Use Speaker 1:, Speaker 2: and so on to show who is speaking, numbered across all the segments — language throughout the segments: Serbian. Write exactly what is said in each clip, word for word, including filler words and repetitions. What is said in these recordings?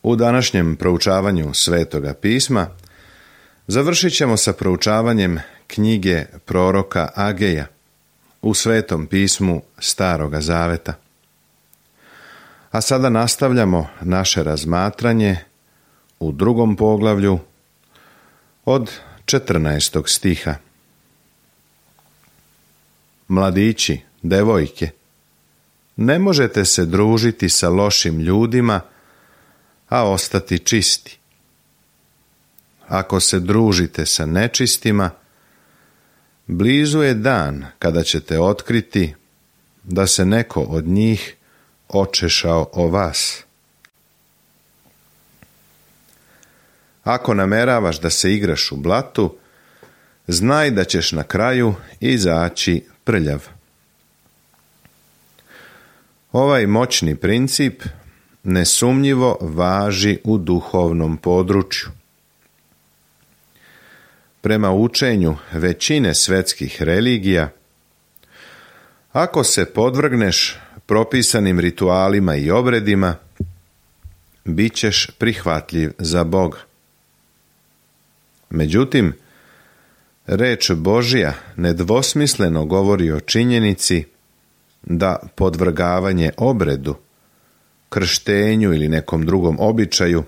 Speaker 1: U današnjem proučavanju Svetoga pisma završit ćemo sa proučavanjem knjige proroka Ageja u Svetom pismu Staroga Zaveta. A sada nastavljamo naše razmatranje u drugom poglavlju od četrnaestog stiha. Mladići, devojke, ne možete se družiti sa lošim ljudima, a ostati čisti. Ako se družite sa nečistima, blizu je dan kada ćete otkriti da se neko od njih očešao o vas. Ako nameravaš da se igraš u blatu, znaj da ćeš na kraju izaći prljav. Ovaj moćni princip nesumnjivo važi u duhovnom području. Prema učenju većine svetskih religija, ako se podvrgneš propisanim ritualima i obredima, bit ćeš prihvatljiv za Boga. Međutim, reč Božja nedvosmisleno govori o činjenici da podvrgavanje obredu, krštenju ili nekom drugom običaju,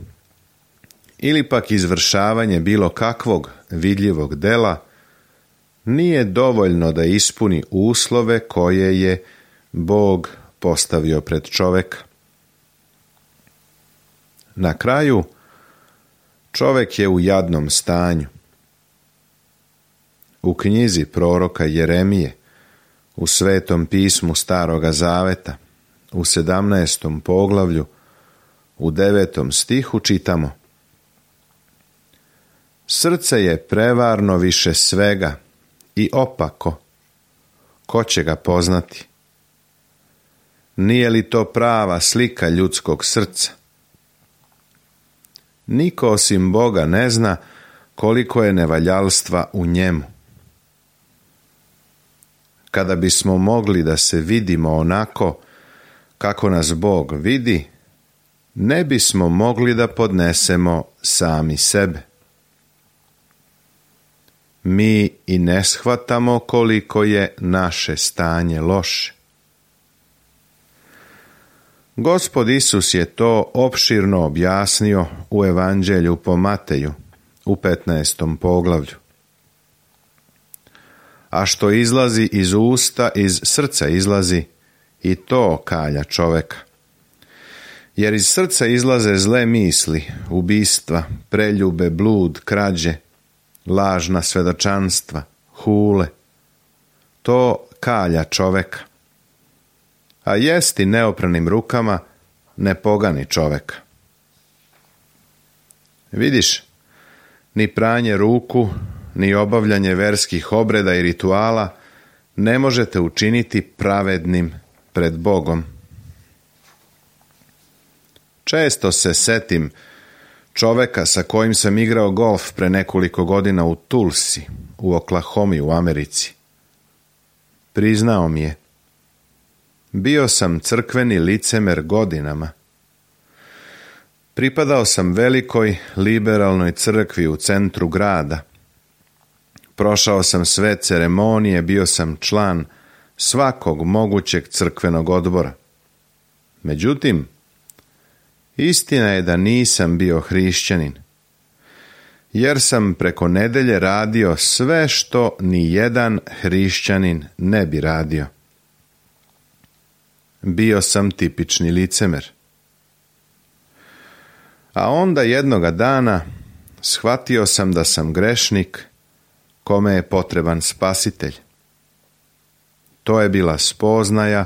Speaker 1: ili pak izvršavanje bilo kakvog vidljivog dela, nije dovoljno da ispuni uslove koje je Bog postavio pred čoveka. Na kraju, čovek je u jadnom stanju. U knjizi proroka Jeremije, u Svetom pismu Staroga Zaveta, u sedamnaestom poglavlju, u devetom stihu čitamo: Srce je prevarno više svega i opako, ko će ga poznati? Nije li to prava slika ljudskog srca? Niko osim Boga ne zna koliko je nevaljalstva u njemu. Kada bismo mogli da se vidimo onako kako nas Bog vidi, ne bismo mogli da podnesemo sami sebe. Mi i ne shvatamo koliko je naše stanje loše. Gospod Isus je to opširno objasnio u Evanđelju po Mateju u petnaestom poglavlju. A što izlazi iz usta, iz srca izlazi, i to kalja čoveka. Jer iz srca izlaze zle misli, ubistva, preljube, blud, krađe, lažna svedočanstva, hule. To kalja čoveka. A jesti neopranim rukama ne pogani čoveka. Vidiš, ni pranje ruku, ni obavljanje verskih obreda i rituala ne možete učiniti pravednim pred Bogom. Često se setim čoveka sa kojim sam igrao golf pre nekoliko godina u Tulsi, u Oklahomi u Americi. Priznao mi je: bio sam crkveni licemer godinama. Pripadao sam velikoj liberalnoj crkvi u centru grada. Prošao sam sve ceremonije, bio sam član svakog mogućeg crkvenog odbora. Međutim, istina je da nisam bio hrišćanin, jer sam preko nedelje radio sve što ni jedan hrišćanin ne bi radio. Bio sam tipični licemer. A onda jednoga dana shvatio sam da sam grešnik kome je potreban spasitelj. To je bila spoznaja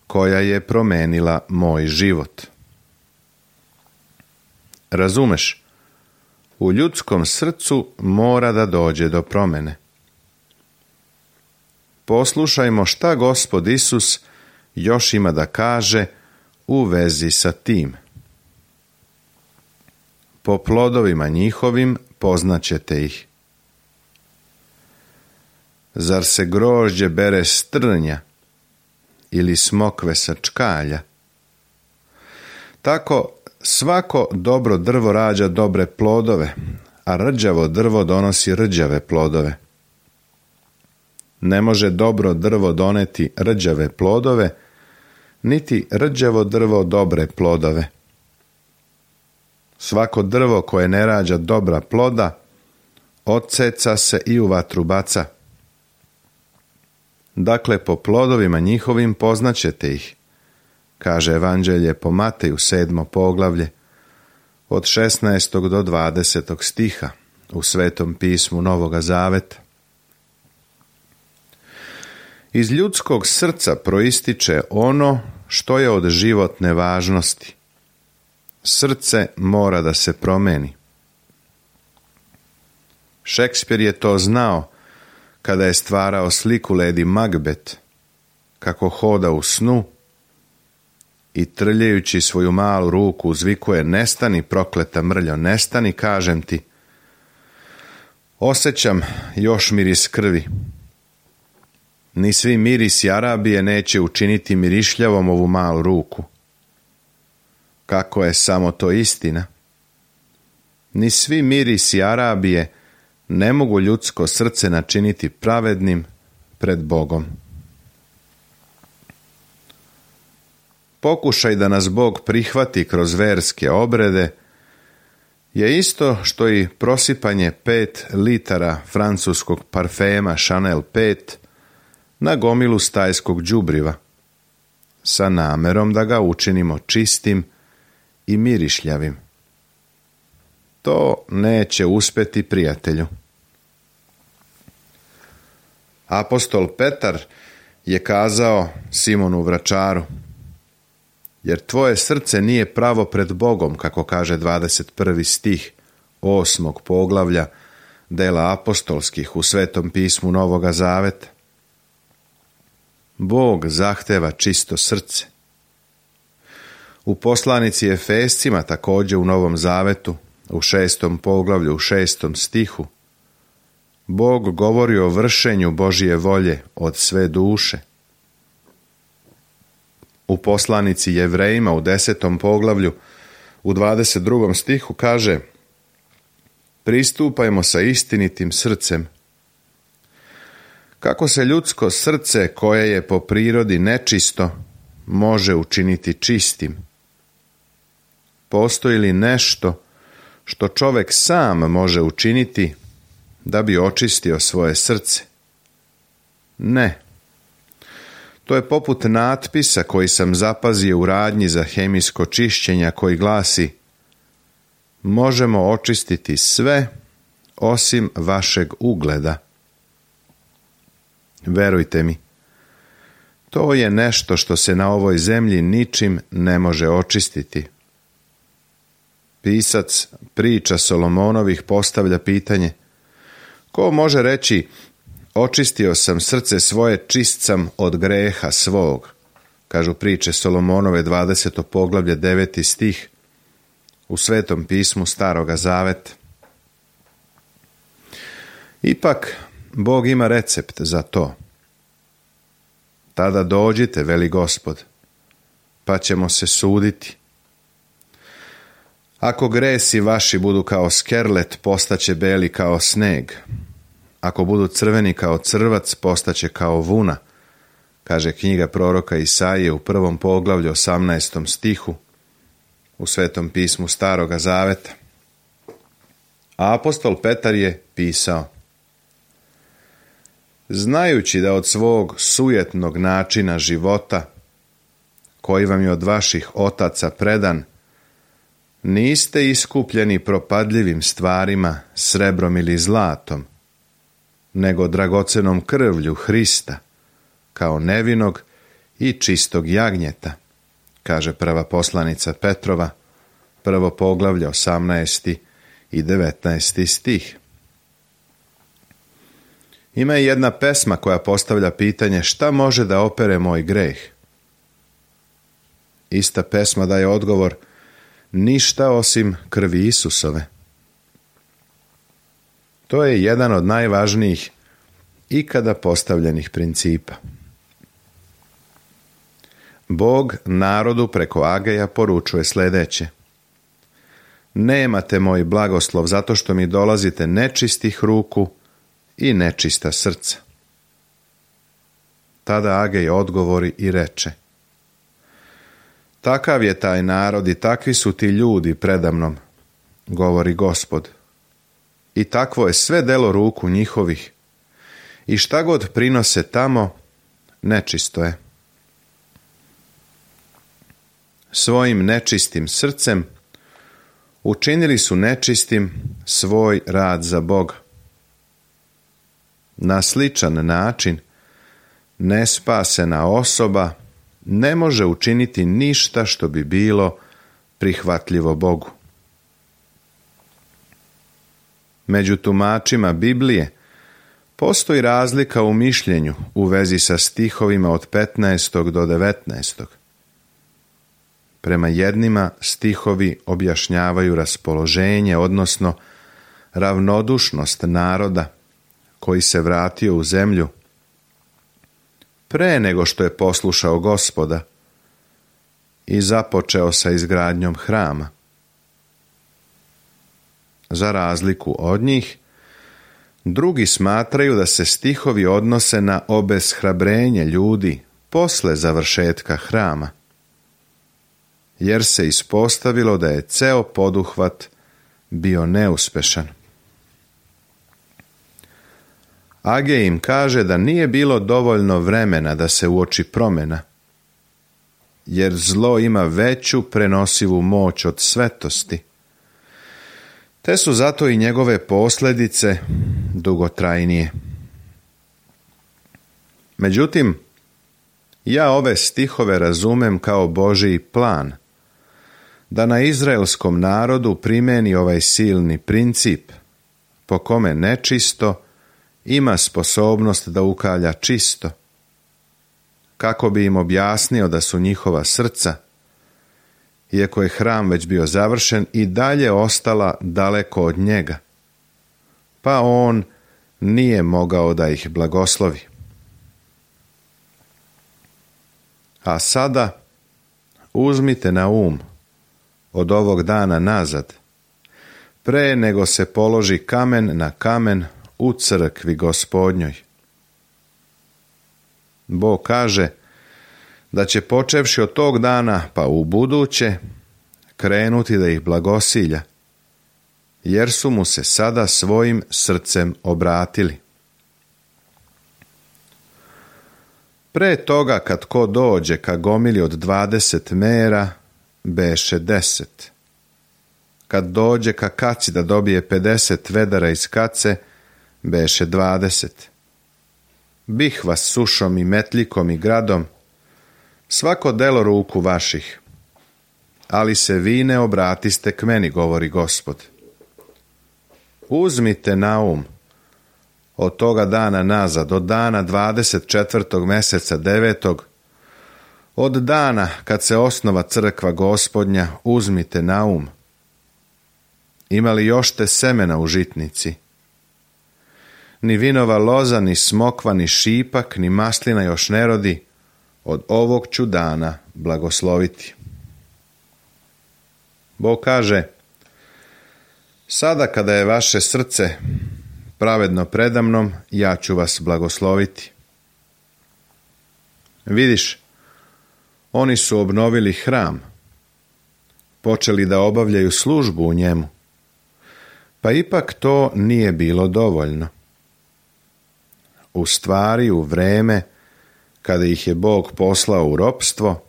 Speaker 1: koja je promenila moj život. Razumeš, u ljudskom srcu mora da dođe do promene. Poslušajmo šta Gospod Isus još ima da kaže u vezi sa tim. Po plodovima njihovim poznaćete ih. Zar se grožđe bere s trnja ili smokve sa čkalja? Tako svako dobro drvo rađa dobre plodove, a rđavo drvo donosi rđave plodove. Ne može dobro drvo doneti rđave plodove, niti rđavo drvo dobre plodove. Svako drvo koje ne rađa dobra ploda, odseca se i u vatru baca. Dakle, po plodovima njihovim poznaćete ih, kaže Evanđelje po Mateju sedmo poglavlje, od šesnaestog do dvadesetog stiha u Svetom pismu Novoga Zaveta. Iz ljudskog srca proističe ono što je od životne važnosti. Srce mora da se promeni. Šekspir je to znao kada je stvarao sliku Lady Macbeth, kako hoda u snu i trljajući svoju malu ruku uzvikuje: nestani, prokleta mrljo, nestani, kažem ti. Osjećam još miris krvi. Ni svi mirisi Arabije neće učiniti mirišljavom ovu malu ruku. Kako je samo to istina? Ni svi mirisi Arabije ne mogu ljudsko srce načiniti pravednim pred Bogom. Pokušaj da nas Bog prihvati kroz verske obrede je isto što i prosipanje pet litara francuskog parfema Chanel pet na gomilu stajskog đubriva, sa namerom da ga učinimo čistim i mirišljavim. To neće uspeti, prijatelju. Apostol Petar je kazao Simonu Vračaru: jer tvoje srce nije pravo pred Bogom, kako kaže dvadeset prvi stih osmog poglavlja dela apostolskih u Svetom pismu Novoga Zaveta. Bog zahteva čisto srce. U poslanici Efescima, također u Novom Zavetu, u šestom poglavlju, u šestom stihu, Bog govori o vršenju Božje volje od sve duše. U poslanici Jevrejima u desetom poglavlju, u dvadeset drugom stihu kaže: pristupajmo sa istinitim srcem. Kako se ljudsko srce, koje je po prirodi nečisto, može učiniti čistim? Postoji li nešto što čovjek sam može učiniti da bi očistio svoje srce? Ne. To je poput natpisa koji sam zapazio u radnji za hemijsko čišćenja, koji glasi: možemo očistiti sve osim vašeg ugleda. Verujte mi, to je nešto što se na ovoj zemlji ničim ne može očistiti. Pisac priča Solomonovih postavlja pitanje: ko može reći očistio sam srce svoje, čist sam od greha svog? Kažu priče Solomonove dvadeseto poglavlje deveti stih u Svetom pismu Staroga Zaveta. Ipak Bog ima recept za to. Tada dođite, veli Gospod, pa ćemo se suditi. Ako gresi vaši budu kao skerlet, postaće beli kao sneg. Ako budu crveni kao crvac, postaće kao vuna, kaže knjiga proroka Isaije u prvom poglavlju osamnaestom stihu u Svetom pismu Staroga Zaveta. A apostol Petar je pisao: znajući da od svog sujetnog načina života, koji vam je od vaših otaca predan, niste iskupljeni propadljivim stvarima, srebrom ili zlatom, nego dragocenom krvlju Hrista, kao nevinog i čistog jagnjeta, kaže prva poslanica Petrova, prvo poglavlje osamnaesti i devetnaesti stih. Ima i jedna pesma koja postavlja pitanje: šta može da opere moj greh? Ista pesma daje odgovor: ništa osim krvi Isusove. To je jedan od najvažnijih ikada postavljenih principa. Bog narodu preko Ageja poručuje sljedeće: nemate moj blagoslov zato što mi dolazite nečistih ruku i nečista srca. Tada Agej odgovori i reče: takav je taj narod i takvi su ti ljudi predamnom, govori Gospod. I takvo je sve delo ruku njihovih, i šta god prinose tamo, nečisto je. Svojim nečistim srcem učinili su nečistim svoj rad za Boga. Na sličan način nespasena osoba ne može učiniti ništa što bi bilo prihvatljivo Bogu. Među tumačima Biblije postoji razlika u mišljenju u vezi sa stihovima od petnaestog do devetnaestog. Prema jednima stihovi objašnjavaju raspoloženje, odnosno ravnodušnost naroda koji se vratio u zemlju pre nego što je poslušao Gospoda i započeo sa izgradnjom hrama. Za razliku od njih, drugi smatraju da se stihovi odnose na obeshrabrenje ljudi posle završetka hrama, jer se ispostavilo da je ceo poduhvat bio neuspešan. Agej im kaže da nije bilo dovoljno vremena da se uoči promjena, jer zlo ima veću prenosivu moć od svetosti, te su zato i njegove posljedice dugotrajnije. Međutim, ja ove stihove razumem kao Božji plan, da na izraelskom narodu primeni ovaj silni princip, po kome nečisto ima sposobnost da ukalja čisto, kako bi im objasnio da su njihova srca, iako je hram već bio završen, i dalje ostala daleko od njega, pa on nije mogao da ih blagoslovi. A sada uzmite na um od ovog dana nazad, pre nego se položi kamen na kamen u crkvi Gospodnjoj. Bog kaže da će počevši od tog dana pa u buduće krenuti da ih blagosilja, jer su mu se sada svojim srcem obratili. Pre toga kad ko dođe ka gomili od dvadeset mera, beše deset. Kad dođe ka kaci da dobije pedeset vedara iz kace, beše dvadeset. Bih vas sušom i metlikom i gradom, svako delo ruku vaših, ali se vi ne obratiste k meni, govori Gospod. Uzmite na um od toga dana nazad, od dana dvadeset četvrtog meseca devetog, od dana kad se osnova crkva Gospodnja, uzmite na um. Ima li još te semena u žitnici? Ni vinova loza, ni smokva, ni šipak, ni maslina još ne rodi, od ovog ću dana blagosloviti. Bog kaže: sada kada je vaše srce pravedno predamnom, ja ću vas blagosloviti. Vidiš, oni su obnovili hram, počeli da obavljaju službu u njemu, pa ipak to nije bilo dovoljno. U stvari, u vreme kada ih je Bog poslao u ropstvo,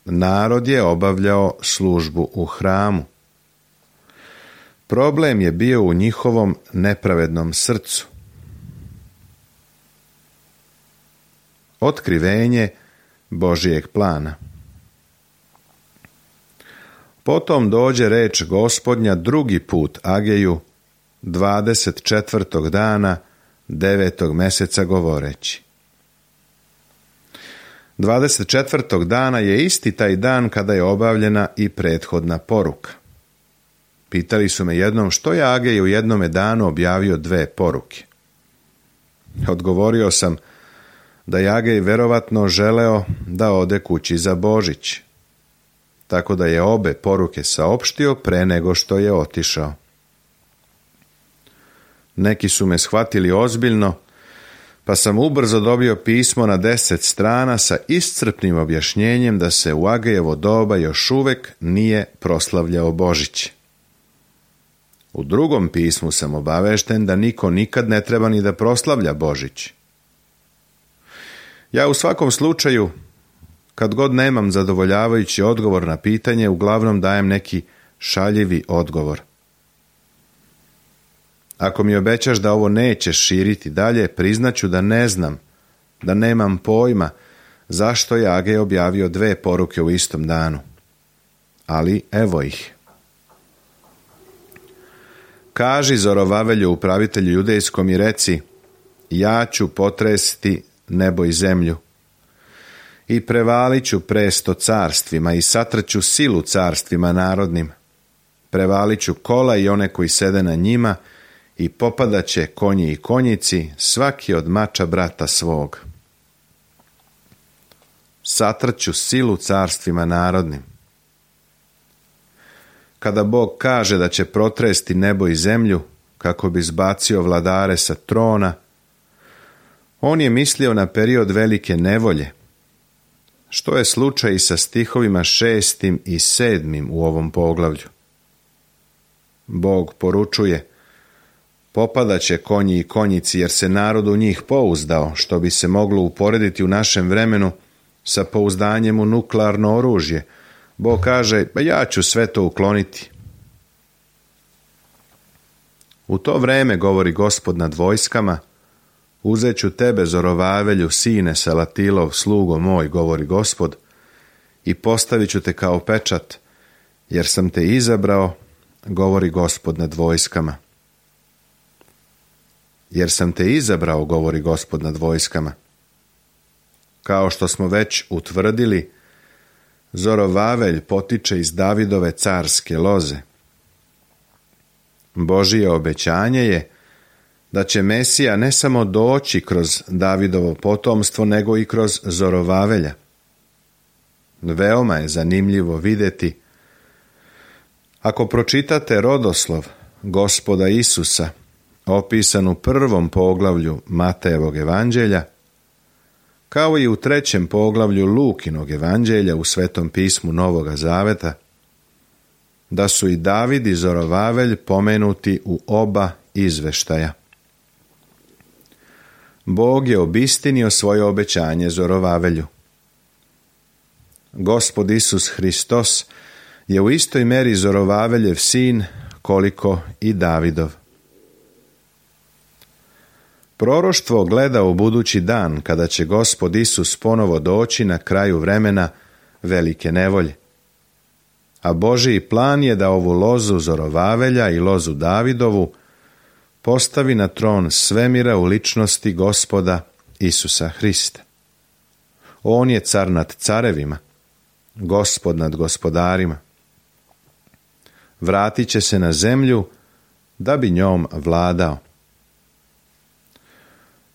Speaker 1: narod je obavljao službu u hramu. Problem je bio u njihovom nepravednom srcu. Otkrivenje Božijeg plana. Potom dođe reč Gospodnja drugi put Ageju, dvadeset četvrtog dana devetog meseca, govoreći: dvadeset četvrtog dana je isti taj dan kada je obavljena i prethodna poruka. Pitali su me jednom što je Agej u jednome danu objavio dve poruke. Odgovorio sam da je Agej verovatno želeo da ode kući za Božić. tako da je obe poruke saopštio pre nego što je otišao. Neki su me shvatili ozbiljno, pa sam ubrzo dobio pismo na deset strana sa iscrpnim objašnjenjem da se u Agejevo doba još uvek nije proslavljao Božić. U drugom pismu sam obavešten da niko nikad ne treba ni da proslavlja Božić. Ja u svakom slučaju, kad god nemam zadovoljavajući odgovor na pitanje, uglavnom dajem neki šaljivi odgovor. Ako mi obećaš da ovo nećeš širiti dalje, priznaću da ne znam, da nemam pojma zašto je Agej objavio dve poruke u istom danu. Ali evo ih. Kaži Zorovavelju, upravitelju judejskom, i reci: ja ću potresti nebo i zemlju i prevalit ću presto carstvima i satrću silu carstvima narodnim. Prevalit ću kola i one koji sede na njima i popadaće konji i konjici, svaki od mača brata svog. Satrću silu carstvima narodnim. Kada Bog kaže da će protresti nebo i zemlju kako bi zbacio vladare sa trona, on je mislio na period velike nevolje, što je slučaj i sa stihovima šestim i sedmim u ovom poglavlju. Bog poručuje: popadaće konji i konjici, jer se narod u njih pouzdao, što bi se moglo uporediti u našem vremenu sa pouzdanjem u nuklearno oružje. Bog kaže: pa ja ću sve to ukloniti. U to vreme, govori Gospod nad vojskama, uzet ću tebe, Zorovavelju, sine Salatilov, slugo moj, govori Gospod, i postavit ću te kao pečat, jer sam te izabrao, govori Gospod nad vojskama. Jer sam te izabrao, govori Gospod nad vojskama. Kao što smo već utvrdili, Zorovavelj potiče iz Davidove carske loze. Božije obećanje je da će Mesija ne samo doći kroz Davidovo potomstvo, nego i kroz Zorovavelja. Veoma je zanimljivo vidjeti, ako pročitate rodoslov Gospoda Isusa, opisan u prvom poglavlju Matejevog evanđelja, kao i u trećem poglavlju Lukinog evanđelja u Svetom pismu Novoga Zaveta, da su i David i Zorovavelj pomenuti u oba izveštaja. Bog je obistinio svoje obećanje Zorovavelju. Gospod Isus Hristos je u istoj meri Zorovaveljev sin koliko i Davidov. Proroštvo gleda u budući dan, kada će Gospod Isus ponovo doći na kraju vremena velike nevolje. A Božiji plan je da ovu lozu Zorovavelja i lozu Davidovu postavi na tron svemira u ličnosti Gospoda Isusa Hrista. On je car nad carevima, Gospod nad gospodarima. Vratit će se na zemlju da bi njom vladao.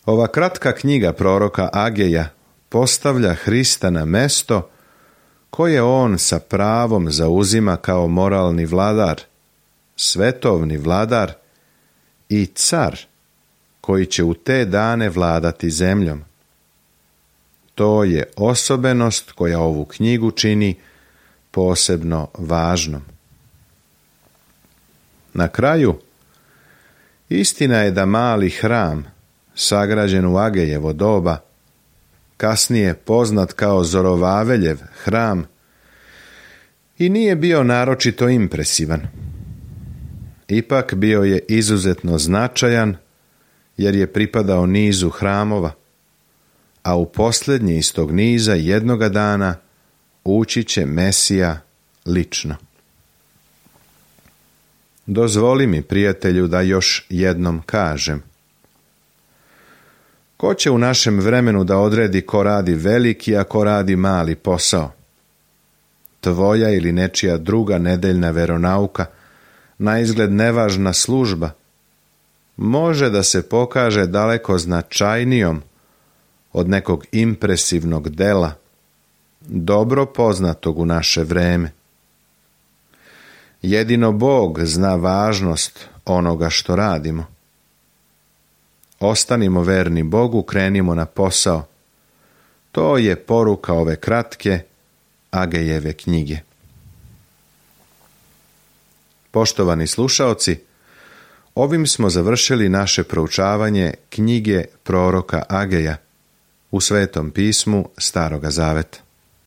Speaker 1: Ova kratka knjiga proroka Ageja postavlja Hrista na mesto koje on sa pravom zauzima kao moralni vladar, svetovni vladar i car koji će u te dane vladati zemljom. To je osobenost koja ovu knjigu čini posebno važnom. Na kraju, istina je da mali hram, sagrađen u Agejevo doba, kasnije poznat kao Zorovaveljev hram, i nije bio naročito impresivan. Ipak bio je izuzetno značajan, jer je pripadao nizu hramova, a u posljednji iz tog niza jednoga dana ući će Mesija lično. Dozvoli mi, prijatelju, da još jednom kažem. Ko će u našem vremenu da odredi ko radi veliki, a ko radi mali posao? Tvoja ili nečija druga nedeljna veronauka, naizgled nevažna služba, može da se pokaže daleko značajnijom od nekog impresivnog dela, dobro poznatog u naše vreme. Jedino Bog zna važnost onoga što radimo. Ostanimo verni Bogu, krenimo na posao. To je poruka ove kratke Agejeve knjige. Poštovani slušaoci, ovim smo završili naše proučavanje knjige proroka Ageja u Svetom pismu Staroga Zaveta.